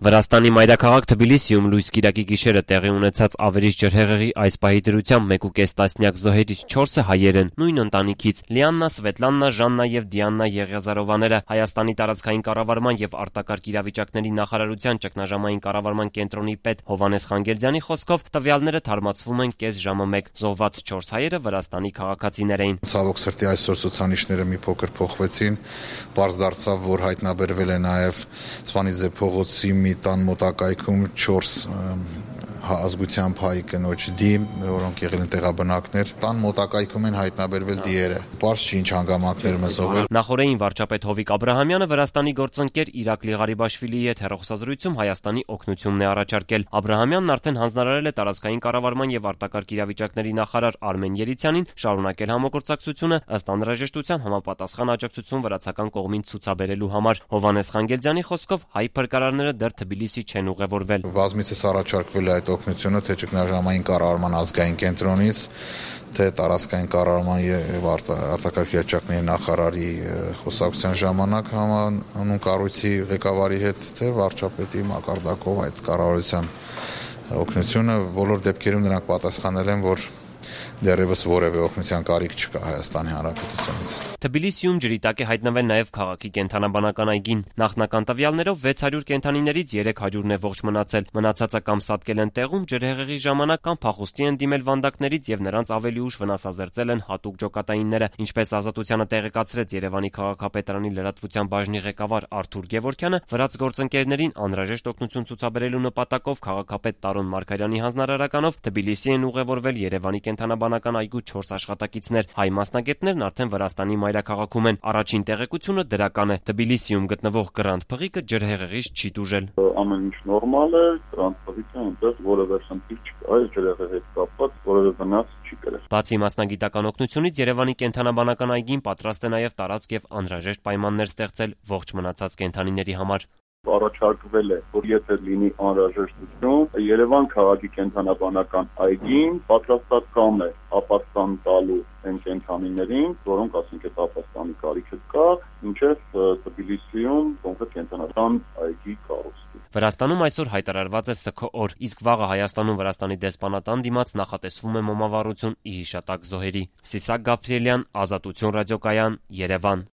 Վրաստանի մայրաքաղաք Թբիլիսիում լույս կիրակի գիշերը տեղի ունեցած ավերիչ ջրհեղեղի այս պահի դրությամբ 1.5 տասնյակ զոհերից 4-ը հայեր են, նույն ընտանիքից՝ Լիաննա, Սվետլաննա, Ժաննա եւ Դիաննա Եղիազարովաները։ Հայաստանի տարածքային կառավարման եւ արտակարգ իրավիճակների նախարարության ճգնաժամային կառավարման կենտրոնի պետ Հովհաննես Խանգերձյանի խոսքով տվյալները թարմացվում են կես ժամը մեկ։ Զոհված 4 հայերը Վրաստանի քաղաքացիներ էին։ Ցավոք սրտի այսօր ցուցանիշները մի փոքր փոխվեցին։ Պարզ դարձավ, որ հայտնաբերվել է նաեւ Սվանիձե փողոցի մի տան մոտակայքում 4 ազգությամբ հայ կնոջ դի, որոնք եղել են տեղաբնակներ։ Տան մոտակայքում են հայտնաբերվել դիերը։ Պարզ չի ինչ հանգամանքներ մզողել։ Նախորդին վարչապետ Հովիկ Աբրահամյանը Վրաստանի գործընկեր Իրակլի Ղարիբաշվիլիի հետ հեռախոսազրույցում Հայաստանի օգնությունն է առաջարկել։ Աբրահամյանն արդեն հանձնարարել է տարածքային կառավարման եւ արտակարգ իրավիճակների նախարար Արմեն Երիցյանին շարունակել համագործակցությունը ըստ անհրաժեշտության համապատասխան աջակցություն վրացական կողմին ցուցաբերելու համար։ Հովհաննես Խանգերձյանի խոսքով հայ փրկարարները դեռ Թբիլիսի չեն ուղևորվել։ Բազմիցս առաջարկվել է այդ օգնությունը թե ճգնաժամային կառավարման ազգային կենտրոնից, թե տարածքային կառավարման եւ արտակարգ իրավիճակների նախարարի խոսակցության ժամանակ համանուն կառույցի ղեկավարի հետ, թե վարչապետի մակարդակով այդ կառավարության օգնությունը։ Բոլոր դեպքերում նրանք պատասխանել են, որ դեռևս որևէ օգնության կարիք չկա Հայաստանի Հանրապետությունից։ Թբիլիսիում ջրի տակ է հայտնվել նաև քաղաքի կենդանաբանական այգին։ Նախնական տվյալներով 600 կենդանիներից 300-ն է ողջ մնացել։ Մնացածը կամ սատկել են տեղում ջրհեղեղի ժամանակ, կամ փախուստի են դիմել վանդակներից եւ նրանց ավելի ուշ վնասազերծել են հատուկ ջոկատայինները։ Ինչպես Ազատությանը տեղեկացրեց Երևանի քաղաքապետարանի լրատվության բաժնի ղեկավար Արթուր Գևորգյանը, վրաց գործընկերներին անհրաժեշտ օգնություն ցուցաբերելու նպատակով քաղաքապետ Տարոն Մարգարյանի հանձնարարականով Թբիլիսի են ուղևորվել Երևանի կենդանաբանական այգու 4 աշխատակիցներ։ Հայ մասնագետներն արդեն Վրաստանի մայրաքաղաքում են։ Առաջին տեղեկությունը դրական է։ Թբիլիսիում գտնվող Գրանդ փղիկը ջրհեղեղից չի տուժել։ Ամեն ինչ նորմալ է, Գրանդ փղիկը այնտեղ որևէ խնդիր չկա, այս ջրհեղեղի հետ կապված որևէ վնաս չի կրել։ Բացի մասնագիտական օգնությունից Երևանի կենդանաբանական այգին պատրաստ է նաև տարածք եւ անհրաժեշտ պայմաններ ստեղծել ողջ մնացած կենդանիների համար։ Առաջարկվել է, որ եթե լինի անհրաժեշտություն, Երևան քաղաքի կենդանաբանական այգին պատրաստական է ապաստան տալու այն կենդանիներին, որոնք ասենք այդ ապաստանի կարիքը կա, մինչև Թբիլիսիում կոնկրետ կենդանական այգի կառուցվի։ Վրաստանում այսօր հայտարարված է ՍՔ օր, իսկ վաղը Հայաստանում Վրաստանի դեսպանատան դիմաց նախատեսվում է մոմավառություն ի հիշատակ զոհերի։ Սիսակ Գաբրիելյան, Ազատություն ռադիոկայան, Երևան։